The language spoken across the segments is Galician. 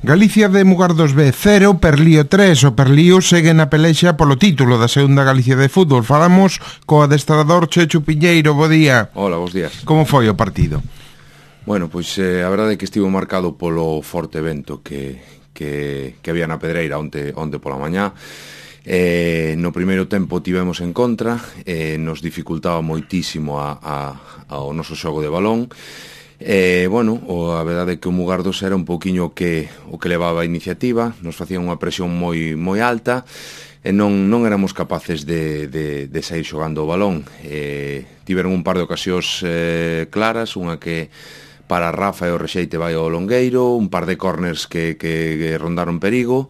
Galicia de Mugardos B 0, Perlío 3. O Perlío segue na pelexa polo título da segunda Galicia de fútbol. Falamos co adestrador Chechu Piñeiro. Bo día. Hola, bos días. Como foi o partido? Bueno, pois a verdade é que estivo marcado polo forte vento que había na Pedreira onte pola mañá. No primeiro tempo tivemos en contra, nos dificultaba moitísimo ao noso xogo de balón. Bueno, a verdade é que o Mugardos era un pouquiño o que levaba a iniciativa, nos facían unha presión moi alta e non éramos capaces de sair xogando o balón. Tiveron un par de ocasións claras, unha que para Rafa e o rexeite vai ao longueiro, un par de corners que rondaron perigo.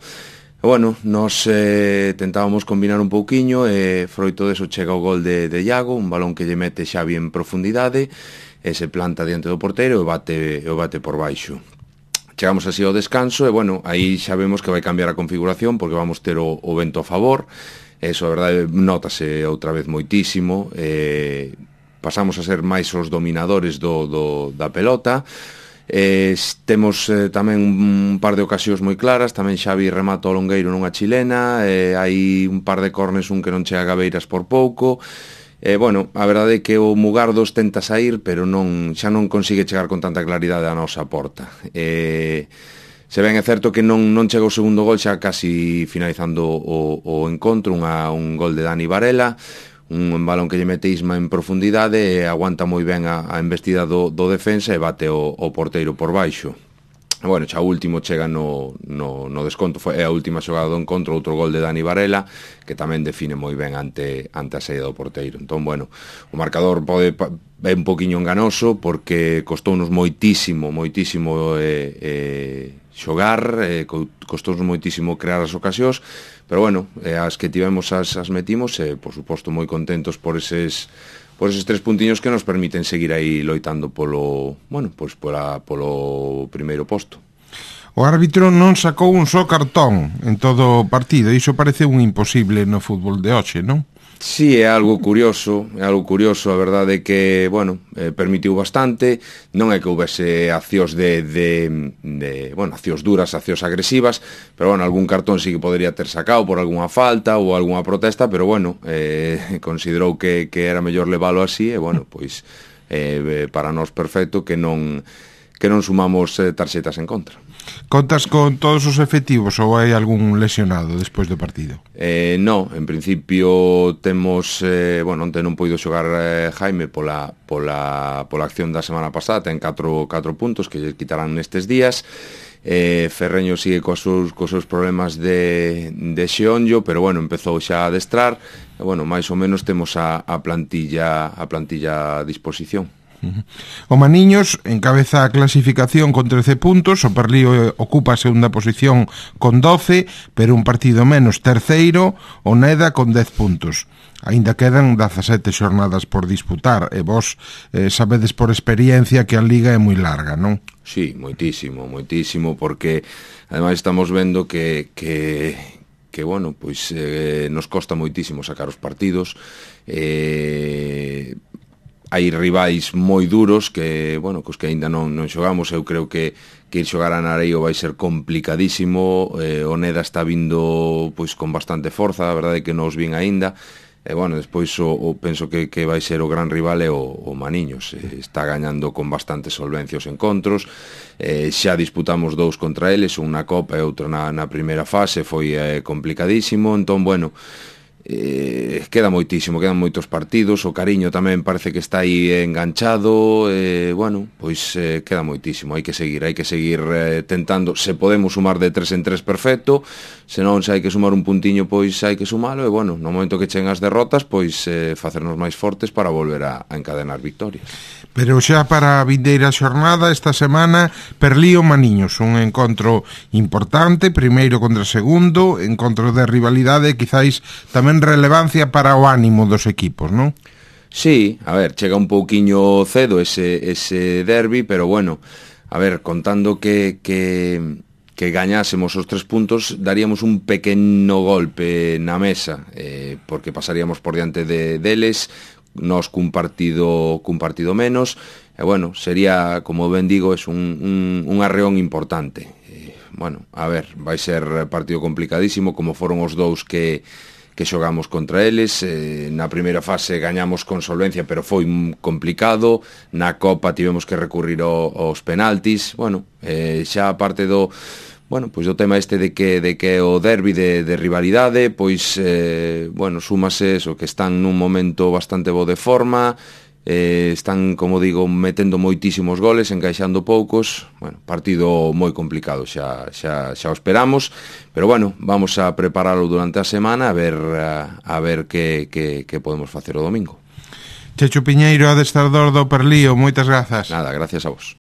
E bueno, nos tentábamos combinar un pouquiño e froito deso chega o gol de Iago, un balón que lle mete Xavi en profundidade e se planta diante do porteiro e bate por baixo. Chegamos así ao descanso e bueno, aí xa vemos que vai cambiar a configuración porque vamos ter o vento a favor. Eso, a verdade, notase outra vez moitísimo. Pasamos a ser máis os dominadores da pelota. Temos tamén un par de ocasións moi claras. Tamén Xavi remata o longueiro nunha chilena. Hai un par de cornes, un que non chega a Gabeiras por pouco. Bueno, a verdade é que o Mugardos tenta sair, pero xa non consigue chegar con tanta claridade a nosa porta. Se ben é certo que non chega o segundo gol xa casi finalizando o encontro, un gol de Dani Varela, un balón que lle mete Isma en profundidade e aguanta moi ben a embestida do defensa e bate o porteiro por baixo. Bueno, xa o último chega no desconto, é a última xogada do encontro, outro gol de Dani Varela, que tamén define moi ben ante a saída do porteiro. Entón, bueno, o marcador é un poquinho enganoso, porque costounos moitísimo xogar, costounos moitísimo crear as ocasións, pero bueno, as que tivemos as metimos, e, por suposto, moi contentos por eses 3 puntiños que nos permiten seguir aí loitando polo primeiro posto. O árbitro non sacou un só cartón en todo o partido, iso parece un imposible no fútbol de hoxe, non? Sí, é algo curioso, a verdade é que, bueno, permitiu bastante, non é que houvese accións accións duras, accións agresivas, pero, bueno, algún cartón sí que podría ter sacado por algunha falta ou algunha protesta, pero, bueno, considerou que era mellor leválo así, e, bueno, pois, para nós perfecto que non sumamos tarxetas en contra. Contas con todos os efectivos ou hai algún lesionado despois do partido? No, en principio temos, onte non poido xogar Jaime pola acción da semana pasada, ten 4 puntos que lle quitarán nestes días. Ferreño sigue cos seus problemas de xeonllo, pero bueno, empezou xa a adestrar e bueno, máis ou menos temos a plantilla a disposición. O Maniños encabeza a clasificación con 13 puntos, o Perlío ocupa a segunda posición con 12, pero un partido menos. Terceiro, o Neda con 10 puntos. Aínda quedan 17 xornadas por disputar, e vos sabedes por experiencia que a liga é moi larga, non? Sí, moitísimo, porque ademais estamos vendo que bueno, pois nos costa moitísimo sacar os partidos. Hai rivais moi duros que, bueno, cos que aínda non xogamos. Eu creo que ir xogar a Nareio vai ser complicadísimo. O Neda está vindo pois con bastante forza, a verdade é que non os vin aínda. Bueno, despois penso que vai ser o gran rival é o Maniños. Está gañando con bastante solvencia os encontros. Xa disputamos 2 contra eles, un na Copa e outro na primeira fase, foi complicadísimo. Entón, bueno, quedan moitos partidos. O Cariño tamén parece que está aí enganchado. Bueno, pois queda moitísimo. Hai que seguir tentando. Se podemos sumar de 3 en 3, perfecto. Se non, se hai que sumar un puntiño, pois hai que sumalo. E bueno, no momento que cheguen as derrotas, pois facernos máis fortes para volver a encadenar victorias. Pero xa para a vindeira xornada, esta semana, Perlío Maniños, un encontro importante, primeiro contra segundo, encontro de rivalidade, quizáis tamén relevancia para o ánimo dos equipos, non? Sí, a ver, chega un pouquiño cedo ese derbi, pero bueno, a ver, contando que gañásemos os 3 puntos, daríamos un pequeno golpe na mesa, porque pasaríamos por diante deles, nós cun partido menos, e bueno, sería, como ben digo, es un arreón importante. bueno, a ver, vai ser partido complicadísimo, como foron os dous que xogamos contra eles. Na primeira fase gañamos con solvencia, pero foi complicado. Na Copa tivemos que recurrir aos penaltis. Bueno, xa a parte do tema este de que o derbi de rivalidade, pois, súmase eso, que están nun momento bastante bo de forma, están, como digo, metendo moitísimos goles, encaixando poucos. Bueno, partido moi complicado, xa o esperamos, pero bueno, vamos a preparalo durante a semana a ver que podemos facer o domingo. Chechu Piñeiro, adestrador do Perlío, moitas grazas. Nada, gracias a vos.